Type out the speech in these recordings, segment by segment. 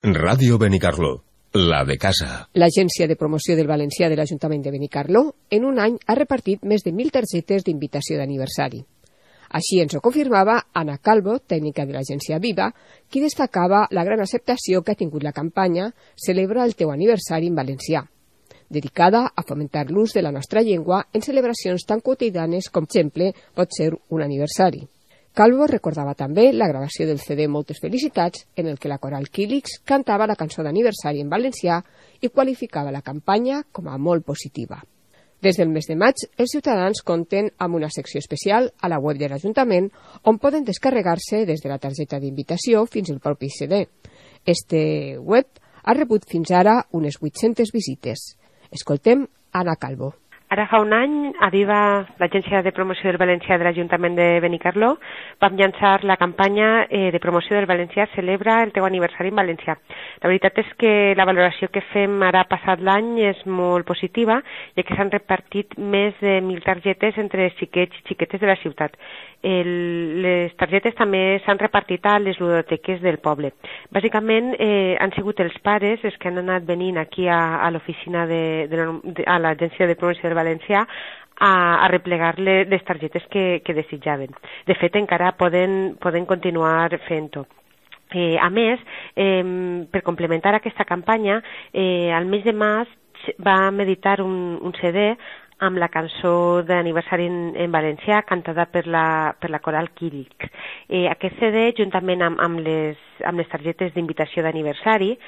Ràdio Benicarló, la de casa. L'Agència de Promoció del Valencià de l'Ajuntament de Benicarló en un any ha repartit més de 1.000 targetes d'invitació d'aniversari. Així ens ho confirmava Ana Calvo, tècnica de l'agència Viva, qui destacava la gran acceptació que ha tingut la campanya Celebra el teu aniversari en valencià, dedicada a fomentar l'ús de la nostra llengua en celebracions tan quotidianes com, per exemple, pot ser un aniversari. Calvo recordava també la gravació del CD Moltes Felicitats, en el que la coral Quílix cantava la cançó d'aniversari en valencià i qualificava la campanya com a molt positiva. Des del mes de maig, els ciutadans compten amb una secció especial a la web de l'Ajuntament on poden descarregar-se des de la targeta d'invitació fins al propi CD. Este web ha rebut fins ara unes 800 visites. Escoltem Ana Calvo. Ara fa un any, a Viva, l'Agència de Promoció del Valencià de l'Ajuntament de Benicarló, vam llançar la campanya de promoció del valencià Celebra el teu aniversari en valencià. La veritat és que la valoració que fem ara passat l'any és molt positiva, ja que s'han repartit més de 1.000 targetes entre xiquets i xiquetes de la ciutat. Les targetes també s'han repartit a les ludoteques del poble. Bàsicament han sigut els pares els que han anat venint aquí a l'oficina a l'Agència de Promoció del Valencià a replegar les targetes que desitjaven. De fet, encara poden continuar fent-ho. A més, per complementar aquesta campanya, al mes de maig vam editar un CD amb la cançó d'aniversari en valencià cantada per la coral Quílix. Aquest CD, juntament amb les targetes d'invitació d'aniversari,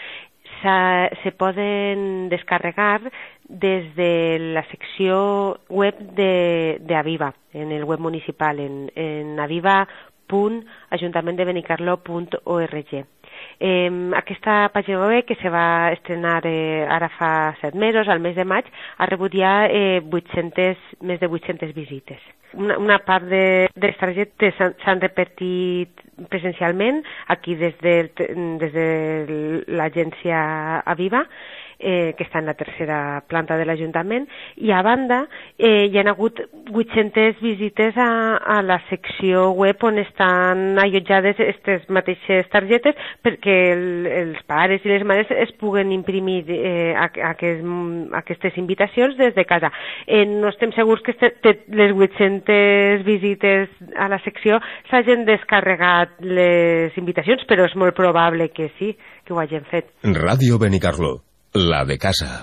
se poden descarregar des de la secció web d'Aviva, en el web municipal, en aviva.ajuntamenttdebenicarló.org. Aquesta pàgina web, que se va estrenar ara fa 7 mesos, al mes de maig, ha rebut ja més de 800 visites. Una part de les targetes s'han repartit presencialment aquí des de l'agència Aviva, que està en la tercera planta de l'Ajuntament, i a banda hi ha hagut 800 visites a la secció web on estan allotjades aquestes mateixes targetes perquè els pares i les mares es puguen imprimir aquestes invitacions des de casa. No estem segurs que les 800 visites a la secció s'hagin descarregat les invitacions, però és molt probable que sí, que ho hagin fet. Ràdio Benicarló, la de casa.